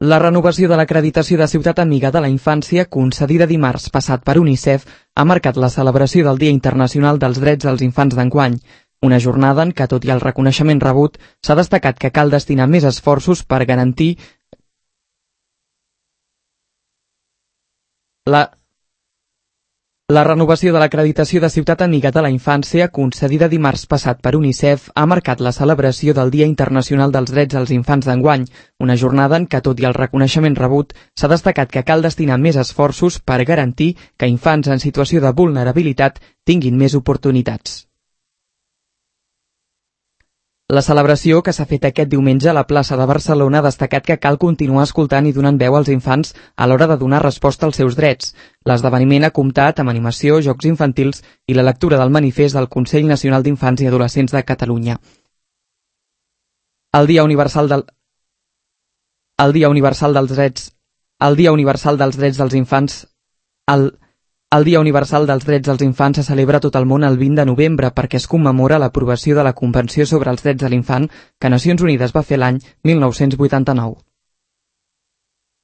La renovació de l'acreditació de Ciutat Amiga de la Infància, concedida dimarts passat per UNICEF, ha marcat la celebració del Dia Internacional dels Drets dels Infants d'enguany, una jornada en què, tot i el reconeixement rebut, s'ha destacat que cal destinar més esforços per garantir La renovació de l'acreditació de Ciutat Amiga de la Infància, concedida dimarts passat per UNICEF, ha marcat la celebració del Dia Internacional dels Drets dels Infants d'enguany, una jornada en què, tot i el reconeixement rebut, s'ha destacat que cal destinar més esforços per garantir que infants en situació de vulnerabilitat tinguin més oportunitats. La celebració, que s'ha fet aquest diumenge a la plaça de Barcelona, ha destacat que cal continuar escoltant i donant veu als infants a l'hora de donar resposta als seus drets. L'esdeveniment ha comptat amb animació, jocs infantils i la lectura del manifest del Consell Nacional d'Infants i Adolescents de Catalunya. El Dia Universal dels Drets dels Infants se celebra a tot el món el 20 de novembre perquè es commemora l'aprovació de la Convenció sobre els Drets de l'Infant que Nacions Unides va fer l'any 1989.